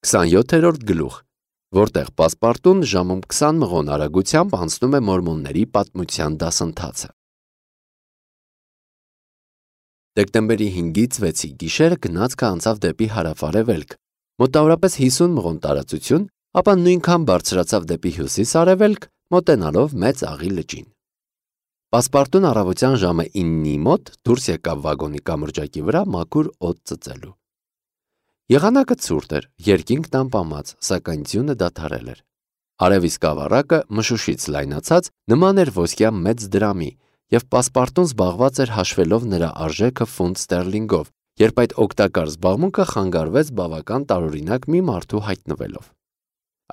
27-րդ գլուխ, որտեղ պասպարտուն ժամում 20 մղոն արագությամբ անցնում է մորմոնների պատմության դասընթացը։ Դեկտեմբերի 5-ից 6-ի գիշերը գնացքը անցավ դեպի հարավ-արևելք, մոտավորապես 50 մղոն տարածություն, ապա նույնքան բարձրացավ դեպի հյուսիս-արևելք, մոտենալով Մեծ Աղի լճին։ Պասպարտուն առավոտյան ժամը 9-ի մոտ դուրս եկավ վագոնի կամրջակի վրա մաքուր օդ ծծելու։ Եղանակը ցուրտ էր, երկինքն անպամած, սակայն ձյունը դադարել էր։ Արևի սկավառակը մշուշից լայնացած նման էր ոսկյա մեծ դրամի, և պասպարտուն զբաղված էր հաշվելով նրա արժեքը ֆունտ ստերլինգով, երբ այդ օգտակար զբաղմունքը խանգարվեց բավական տարօրինակ մի մարդու հայտնվելով։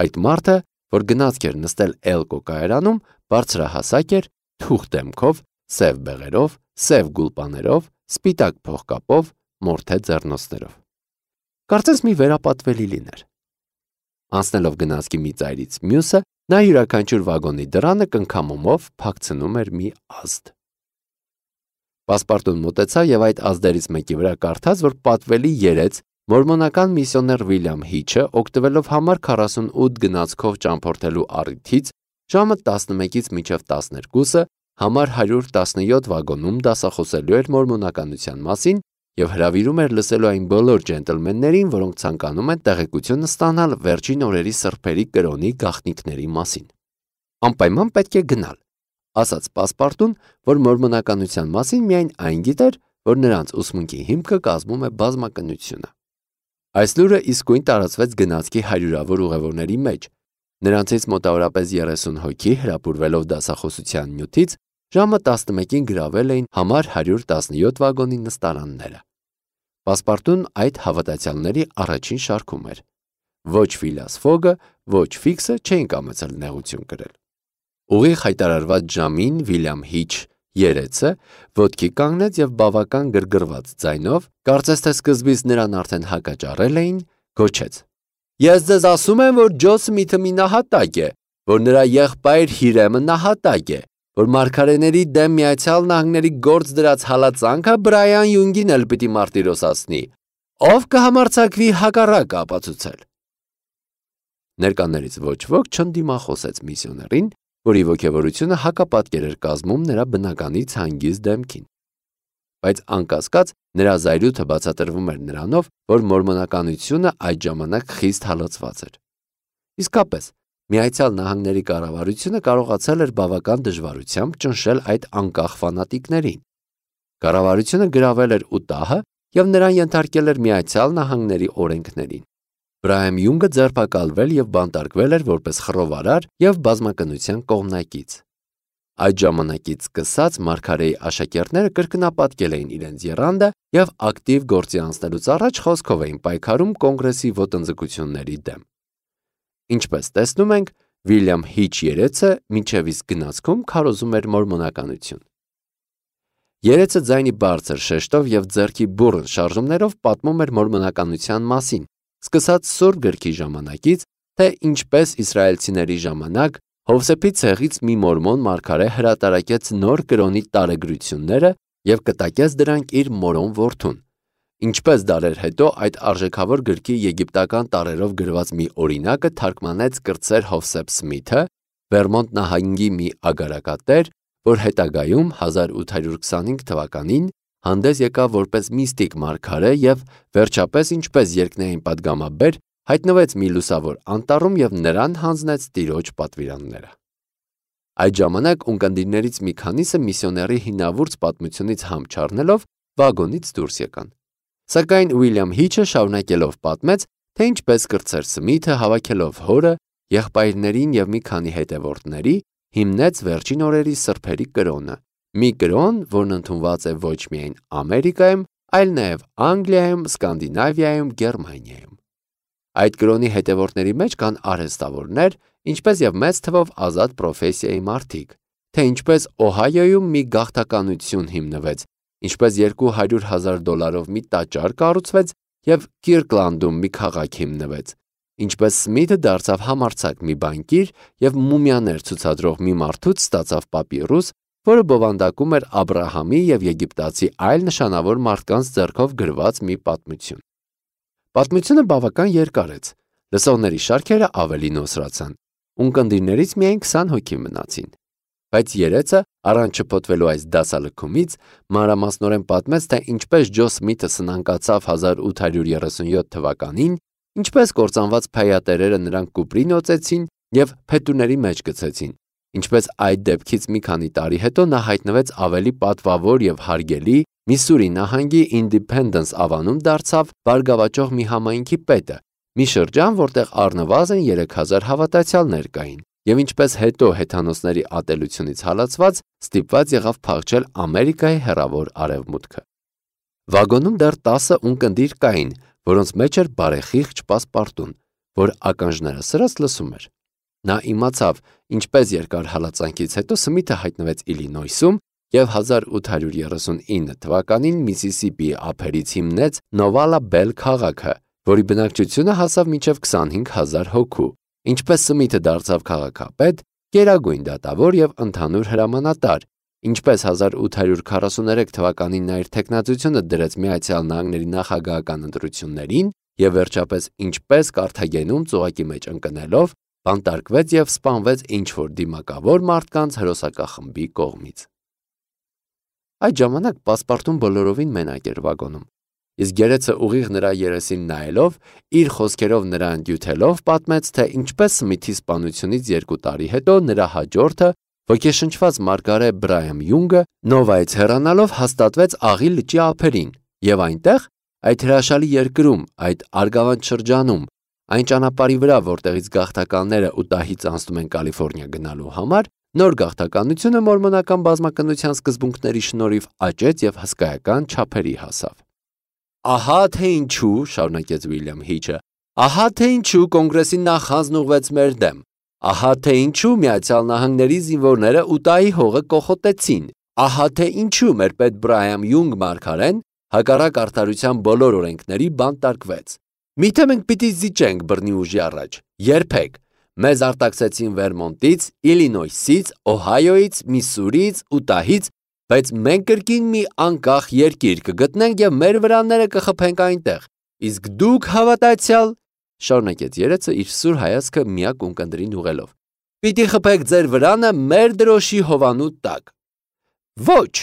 Այդ մարդը, որ գնացք էր նստել Էլկո կայարանում, բարձրահասակ էր, թուխ դեմքով, սև բեղերով, սև գուլպաներով, սպիտակ փողկապով, մորթե ձեռնոցներով։ Կարծես մի վերապատվելի լիներ։ Անցնելով գնացքի մի ծայրից մյուսը, նա յուրաքանչյուր վագոնի դռանը կնքամումով փակցնում էր մի ազդ։ Պասպարտուն մոտեցավ և այդ ազդերից մեկի վրա կարդաց, որ պատվելի երեց մորմոնական միսիոներ Վիլյամ Հիչը, օգտվելով համար 48 գնացքով ճամփորդելու առիթից, ժամը 11-ից մինչև 12-ը համար 117 վագոնում դասախոսելու էր մորմոնականության մասին և հրավիրում էր լսելու այն բոլոր ջենտլմեններին, որոնք ցանկանում են տեղեկություն ստանալ վերջին օրերի սրբերի կրոնի գաղտնիքների մասին։ Անպայման պետք է գնալ, ասաց պասպարտուն, որ մորմոնականության մասին միայն այն գիտեր, որ նրանց ուսմունքի հիմքը կազմում է բազմակնությունը։ Այս լուրը իսկույն տարածվեց գնացքի հարյուրավոր ուղևորների մեջ։ Նրանցից մոտավորապես 30 հոգի հրապուրվելով դասախոսության նյութից ժամը 11-ին գրավել էին համար 117 վագոնի նստարանները։ Պասպարտուն այդ հավատացյալների առաջին շարքում էր։ Ոչ Ֆիլաս Ֆոգը, ոչ Ֆիքսը չէին կամեցել նեղություն կրել։ Ուղիղ հայտարարված ժամին Վիլյամ Հիչ երեցը ոտքի կանգնեց և բավական գրգռված ձայնով, կարծես թե սկզբից նրան արդեն հակաճառել էին, գոչեց. «Ես ձեզ ասում եմ, որ Ջո Սմիթը մի նահատակ է, որ նրա եղբայր Հիրեմը նահատակ է, որ մարգարեների դեմ Միացյալ Նահանգների գործ դրած հալածանքը Բրայան Յունգին էլ պիտի մարտիրոսացնի, ով կհամարձակվի հակառակը ապացուցել»։ Ներկաներից ոչ ոք չընդդիմախոսեց միսիոներին, որի ոգևորությունը հակապատկեր էր կազմում նրա բնականից հանգիստ դեմքին։ Բայց անկասկած նրա զայրույթը բացատրվում էր նրանով, որ մորմոնականությունը այդ ժամանակ խիստ հալածված էր։ Իսկապես, Միացյալ Նահանգների կառավարությունը կարողացել էր բավական դժվարությամբ ճնշել այդ անկախ ֆանատիկներին։ Կառավարությունը գրավել էր Ուտահը և նրան ենթարկել էր Միացյալ Նահանգների օրենքներին։ Բրայան Յունգը ձերբակալվել և բանտարկվել էր որպես խռովարար և բազմակնության կողմնակից։ Այդ ժամանակից սկսած մարգարեի աշակերտները կրկնապատկել էին իրենց եռանդը և ակտիվ գործի անցնելուց առաջ խոսքով էին պայքարում կոնգրեսի ոտնձգությունների դեմ։ Ինչպես տեսնում ենք, Վիլյամ Հիչ երեցը մինչև իսկ գնացքում քարոզում էր մորմոնականություն։ Երեցը ձայնի բարձր շեշտով և ձեռքի բուռն շարժումներով պատմում էր մորմոնականության մասին, սկսած Սուրբ գրքի ժամանակից, թե ինչպես իսրայելցիների ժամանակ Հովսեփի ցեղից մի մորմոն մարգարե հրատարակեց նոր կրոնի տարեգրությունները և կտակեց դրանք իր մորոն որդուն, ինչպես դարեր հետո այդ արժեքավոր գրքի եգիպտական տառերով գրված մի օրինակը թարգմանեց կրտսեր Հովսեփ Սմիթը, Վերմոնտ նահանգի մի ագարակատեր, որ հետագայում 1825 թվականին հանդես եկավ որպես միստիկ մարգարե և վերջապես ինչպես երկնային պատգամաբեր հայտնվեց մի լուսավոր անտառում և նրան հանձնեց Տիրոջ պատվիրանները։ Այդ ժամանակ ունկնդիրներից մի քանիսը միսիոների հինավուրց պատմությունից համ չառնելով վագոնից դուրս եկան։ Սակայն Վիլյամ Հիչը շարունակելով պատմեց, թե ինչպես կրտսեր Սմիթը հավաքելով հորը, եղբայրներին և մի քանի հետևորդների հիմնեց վերջին օրերի սրբերի կրոնը, մի կրոն, որն ընդունված է ոչ միայն Ամերիկայում, այլ նաև Անգլիայում, Սկանդինավիայում, Գերմանիայում։ Այդ կրոնի հետևորդների մեջ կան արհեստավորներ, ինչպես և մեծ թվով ազատ պրոֆեսիայի մարդիկ, թե ինչպես Օհայոյում մի գաղթականություն հիմնվեց, ինչպես $200,000 մի տաճար կառուցվեց և Կիրկլանդում մի քաղաք հիմնվեց, ինչպես Սմիթը դարձավ համարձակ մի բանկիր և մումիաներ ցուցադրող մի մարդուց ստացավ պապիրուս, որը բովանդակում էր Աբրահամի և եգիպտացի այլ նշանավոր մարդկանց ձեռքով գրված մի պատմություն։ Պատմությունը բավական երկար է, Լսողների շարքերը ավելի նոսրացան։ Ունկնդիրներից միայն 20 հոգի մնացին։ Բայց երեցը, առանց շփոթվելու այս դասալքումից, մանրամասնորեն պատմեց, թե ինչպես Ջո Սմիթը սնանկացավ 1837 թվականին, ինչպես կործանված փայատերերը նրան կուպրին օծեցին և փետուրների մեջ գցեցին, ինչպես այդ դեպքից մի քանի տարի հետո նա հայտնվեց ավելի պատվավոր և հարգելի, Միսսուրի նահանգի Ինդիփենդենս ավանում դարձավ բարգավաճող մի համայնքի պետը, մի շրջան, որտեղ առնվազն 3000 հավատացյալներ կային, և ինչպես հետո հեթանոսների ատելությունից հալածված ստիպված եղավ փախչել Ամերիկայի հեռավոր արևմուտքը։ Վագոնում դեռ 10 ունկնդիր կային, որոնց մեջ էր բարեխիղճ պասպարտուն, որ ականջները սրած լսում էր։ Նա իմացավ, ինչպես երկար հալածանքից հետո Սմիթը հայտնվեց Իլինոյսում և 1839 թվականին Միսիսիպիի ափերից հիմնեց Նովալա Բել քաղաքը, որի բնակչությունը հասավ մինչև 25000 հոգու, ինչպես Սմիթը դարձավ քաղաքապետ, գերագույն դատավոր և ընդհանուր հրամանատար, ինչպես 1843 թվականին նա իր թեկնածությունը դրեց Միացյալ Նահանգների նախագահական ընտրություններին և վերջապես ինչպես Կարթագենում ծուղակի մեջ ընկնելով, բանտարկվեց և սպանվեց ինչ-որ դիմակավոր մարդկանց հրոսակախմբի կողմից։ Այդ ժամանակ պասպարտուն բոլորովին մենակ էր վագոնում, իսկ գերեցը ուղիղ նրա երեսին նայելով, իր խոսքերով նրան դյութելով պատմեց, թե ինչպես Սմիթի սպանությունից 2 տարի հետո նրա հաջորդը, ոգեշնչված մարգարե Բրայամ Յունգը, Նովայից հեռանալով հաստատվեց Աղի լճի ափերին և այնտեղ, այդ հրաշալի երկրում, այդ արգավանդ շրջանում, այն ճանապարհի վրա, որտեղից գաղթականները Ուտահից անցնում են Կալիֆոռնիա գնալու համար, նոր գաղթականությունը մորմոնական բազմակնության սկզբունքների շնորհիվ աճեց և հսկայական չափերի հասավ։ Ահա թե ինչու, շարունակեց Ուիլյամ Հիչը, ահա թե ինչու կոնգրեսի նախանձն ուղղվեց մեր դեմ, ահա թե ինչու Միացյալ Նահանգների զինվորները Ուտահի հողը կոխոտեցին, ահա թե ինչու մեր պետ Բրայամ Յունգ մարգարեն հակառակ արդարության բոլոր օրենքների բանտարկվեց։ Միթե մենք պիտի զիջենք բռնի ուժի առաջ, երբեք։ Մեզ արտաքսեցին Վերմոնտից, Իլինոյսից, Օհայոյից, Միսսուրիից, Ուտահից, բայց մենք կրկին մի անկախ երկիր կգտնենք և մեր վրաները կխփենք այնտեղ, իսկ դուք հավատացյալ, շարունակեց երեցը իր սուր հայացքը միակ ունկնդրին ուղղելով, պիտի խփեք ձեր վրանը մեր դրոշի հովանու տակ։ Ոչ,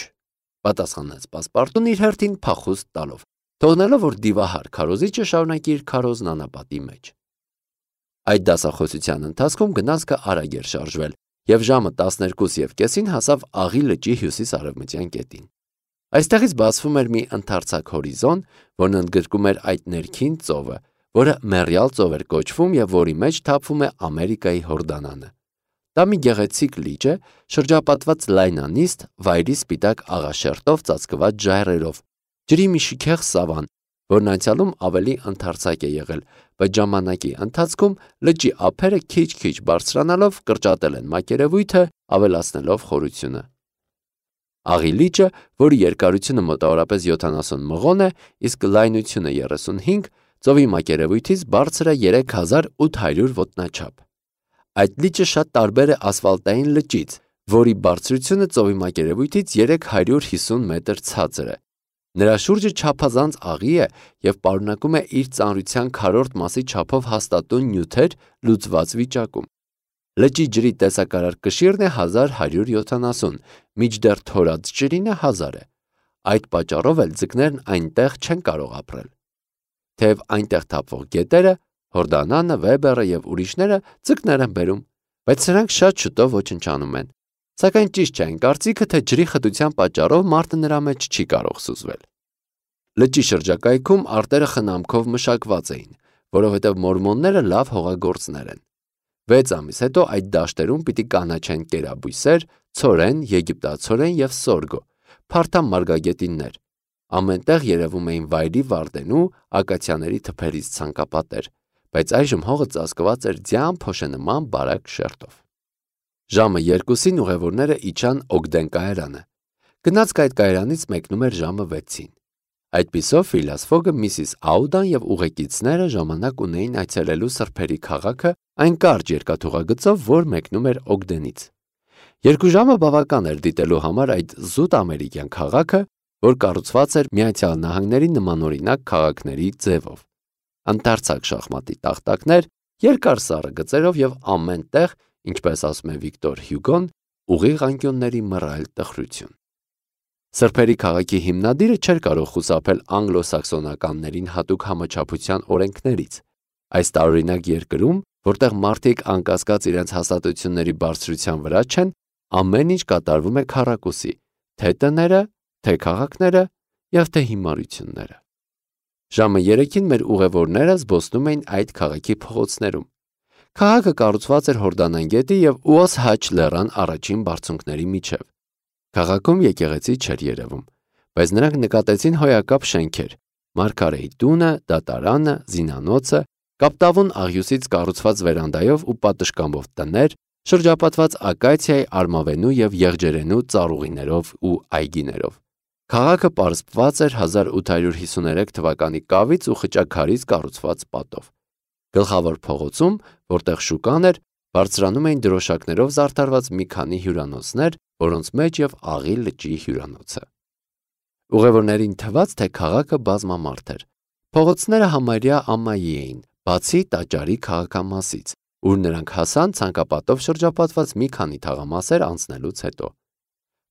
պատասխանեց պասպարտուն իր հերթին փախուստ տալով, թողնելով, որ դիվահար քարոզիչը շարունակի իր քարոզն անապատի մեջ։ Այդ դասախոսության ընթացքում գնացքը արագ էր շարժվել, և ժամը 12:30-ին հասավ Աղի լճի հյուսիս-արևմտյան կետին։ Այստեղից բացվում էր մի ընդարձակ հորիզոն, որն ընդգրկում էր այդ ներքին ծովը, որը Մեռյալ ծով էր կոչվում և որի մեջ թափվում է Ամերիկայի Հորդանանը։ Դա մի գեղեցիկ լիճ է, շրջապատված լայնանիստ, վայրի սպիտակ աղաշերտով ծածկված ժայռերով, ջրի մի շքեղ սավան, որն անցյալում ավելի ընդարձակ է եղել, բայց ժամանակի ընթացքում լճի ափերը քիչ-քիչ բարձրանալով կրճատել են մակերևույթը, ավելացնելով խորությունը։ Աղի լիճը, որի երկարությունը մոտավորապես 70 մղոն է, իսկ լայնությունը 35, ծովի մակերևույթից բարձր է 3800 ոտնաչափ։ Այդ լիճը շատ տարբեր է ասֆալտային լճից, որի բարձրությունը ծովի մակերևույթից 350 մետր ցածր է։ Նրա շուրջը չափազանց աղի է և պարունակում է իր ծանրության քառորդ մասի չափով հաստատուն նյութեր լուծված վիճակում։ Լճի ջրի տեսակարար կշիռն է 1170, մինչդեռ թորած ջրինը 1000 է։ Այդ պատճառով էլ ձկներն այնտեղ չեն կարող ապրել։ Թեև այնտեղ թափվող գետերը, Հորդանանը, Վեբերը և ուրիշները ձկներ են բերում, բայց սրանք շատ շուտով ոչնչանում են։ Սակայն ճիշտ չէ այն կարծիքը, թե ջրի խտության պատճառով մարդը նրա մեջ չի կարող սուզվել։ Լճի շրջակայքում արտերը խնամքով մշակված էին, որովհետև մորմոնները լավ հողագործներ են։ 6 ամիս հետո այդ դաշտերում պիտի կանաչեն կերաբույսեր, ցորեն, եգիպտացորեն և սորգո, փարթամ մարգագետիններ։ Ամենտեղ երևում էին վայրի վարդենու, ակացիաների թփերից ցանկապատեր, բայց այժմ հողը ծածկված էր ձյան փոշենման բարակ շերտով։ Ժամը 2-ին ուղևորները իջան Օգդեն կայարանը։ Գնացքը այդ կայարանից մեկնում էր ժամը 6-ին։ Այդպիսով Ֆիլաս Ֆոգը, Միսիս Աուդան և ուղեկիցները ժամանակ ունեին այցելելու սրբերի քաղաքը այն կարճ երկաթուղագծով, որ մեկնում էր Օգդենից։ 2 ժամը բավական էր դիտելու համար այդ զուտ ամերիկյան քաղաքը, որ կառուցված էր Միացյալ Նահանգների նմանօրինակ քաղաքների ձևով։ Ընդարձակ շախմատի տախտակներ, երկար սառը գծերով եւ ամեն տեղ, ինչպես ասում է Վիկտոր Հյուգոն, ուղիղ անկյունների մռայլ տխրություն։ Սրբերի քաղաքի հիմնադիրը չէր կարող խուսափել անգլո-սաքսոնականներին հատուկ համաչափության օրենքներից։ Այս տարօրինակ երկրում, որտեղ մարդիկ անկասկած իրենց հաստատությունների բարձրության վրա չեն, ամեն ինչ կատարվում է քառակուսի, թե տները, թե քաղաքները եւ թե հիմարությունները։ Ժամը 3-ին մեր ուղևորները զբոսնում էին այդ քաղաքի փողոցներում։ Քաղաքը կառուցված էր Հորդանան գետի եւ Ուոս Հաչ լեռան առաջին բարձունքների միջև։ Քաղաքում եկեղեցի չէր երևում, բայց նրանք նկատեցին հոյակապ շենքեր՝ Մարգարեի տունը, դատարանը, զինանոցը, կապտավուն աղյուսից կառուցված վերանդայով ու պատշգամբով տներ, շրջապատված ակացիայի, արմավենու եւ եղջերենու ծառուղիներով ու այգիներով։ Քաղաքը պարսպված էր 1853 թվականի կավից ու խճաքարից կառուցված պատով։ Գլխավոր փողոցում, որտեղ շուկան էր, բարձրանում էին դրոշակներով զարդարված մի քանի հյուրանոցներ, որոնց մեջ եւ Աղի լճի հյուրանոցը։ Ուղևորներին թվաց, թե քաղաքը բազմամարդ էր։ Փողոցները համարյա ամայի էին, բացի տաճարի քաղաքամասից, ուր նրանք հասան ցանկապատով շրջապատված մի քանի թաղամասեր անցնելուց հետո։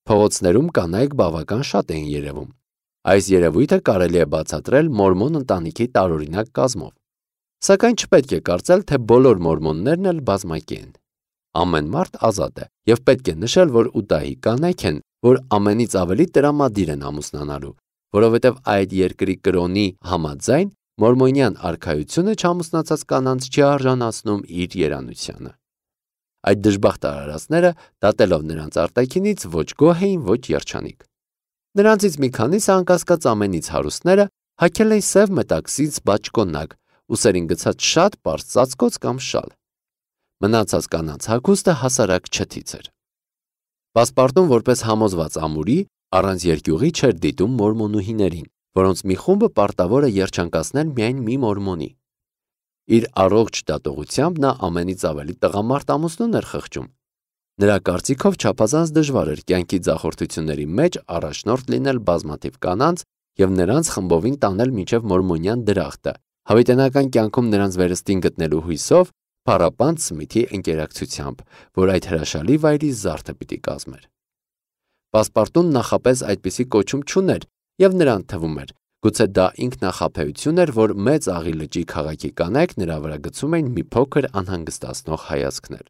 Փողոցներում կանայք բավական շատ էին երևում։ Այս երևույթը կարելի է բացատրել մորմոն ընտանիքի տարօրինակ կազմով։ Սակայն չպետք է կարծել, թե բոլոր մորմոններն էլ բազմակի են։ Ամեն մարդ ազատ է, եւ պետք է նշել, որ ուտահի կանայք են, որ ամենից ավելի տրամադիր են ամուսնանալու, որովհետև այդ երկրի կրոնի համաձայն մորմոնյան արքայությունը չամուսնացած կանանց չի արժանացնում իր երանությանը։ Այդ դժբախտ արարածները, դատելով նրանց արտաքինից, ոչ գոհ էին, ոչ երջանիկ։ Նրանցից մի քանիսը անկասկած ամենից հարուստները հագել էին սև մետաքսից բաճկոնակ, ուսերին գցած շատ պարզ ծածկոց կամ շալ։ Մնացած կանանց հագուստը հասարակ չթից էր։ Պասպարտուն որպես համոզված ամուրի առանց երկյուղի չէր դիտում մորմոնուհիներին, որոնց մի խումբը պարտավոր է երջանկացնել միայն մի մորմոնի։ Իր առողջ դատողությամբ նա ամենից ավելի տղամարդ ամուսնուն էր խղճում։ Նրա կարծիքով չափազանց դժվար էր կյանքի ձախորդությունների մեջ առաջնորդ լինել բազմաթիվ կանանց եւ նրանց խմբովին տանել մինչև մորմոնյան դրախտը, հավիտենական կյանքում նրանց վերստին գտնելու հույսով, Փառապանծ Սմիթի ընկերակցությամբ, որ այդ հրաշալի վայրի զարդը պիտի կազմեր։ Պասպարտուն նախապես այդպիսի կոչում չուներ եւ նրան թվում էր, գուցե դա ինքնախաբեություն էր, որ մեծ Աղի լճի քաղաքի կանայք նրա վրա գցում էին մի փոքր անհանգստացնող հայացքներ։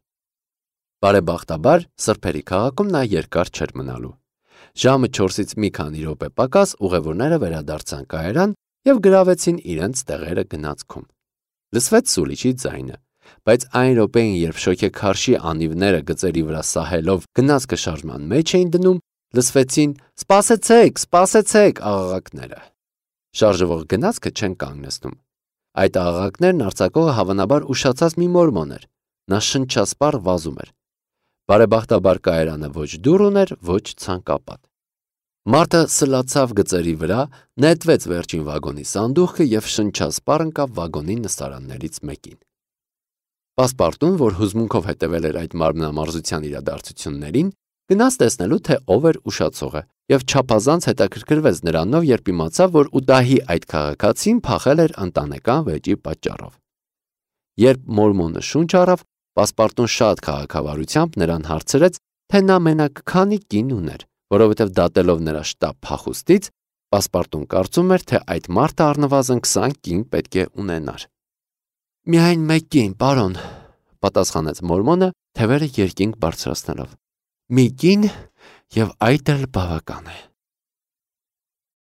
Բարեբախտաբար սրբերի քաղաքում նա երկար չէր մնալու։ Ժամը 4-ից մի քանի րոպե պակաս ուղևորները վերադարձան կայարան եւ գրավեցին իրենց տեղերը գնացքում։ Լսվեց սուլիչի ձայնը, բայց այն րոպեին, երբ շոգեքարշի անիվները գծերի վրա սահելով գնացքը շարժման մեջ էին դնում, լսվեցին «Սպասեցեք, սպասեցեք» աղաղակները։ Շարժվող գնացքը չեն կանգնեցնում։ Այդ աղաղակներն արձակողը հավանաբար ուշացած մի մորմոն էր։ Նա շնչասպառ վազում էր։ Բարեբախտաբար կայարանը ոչ դուռ ուներ, ոչ ցանկապատ։ Մարդը սլացավ գծերի վրա, նետվեց վերջին վագոնի սանդուղքը եւ շնչասպառ ընկավ վագոնի նստարաններից մեկին։ Պասպարտուն, որ հուզմունքով հետևել էր այդ մարմնամարզության իրադարձություններին, գնաց տեսնելու, թե ով էր ուշացողը, եւ չափազանց հետաքրքրվեց նրանով, երբ իմացավ, որ ուտահի այդ քաղաքացին փախել էր ընտանեկան վեճի պատճառով։ Երբ մորմոնը շունչ առավ, Պասպարտուն շատ քաղաքավարությամբ նրան հարցրեց, թե նա մենակ քանի կին ուներ, որովհետև դատելով նրա շտապ փախուստից, Պասպարտուն կարծում էր, թե այդ մարդը առնվազն 20 կին պետք է ունենար։ Միայն մեկ կին, պարոն, պատասխանեց մորմոնը, թևերը երկինք բարձրացնելով։ Մի կին եւ այդ էլ բավական է։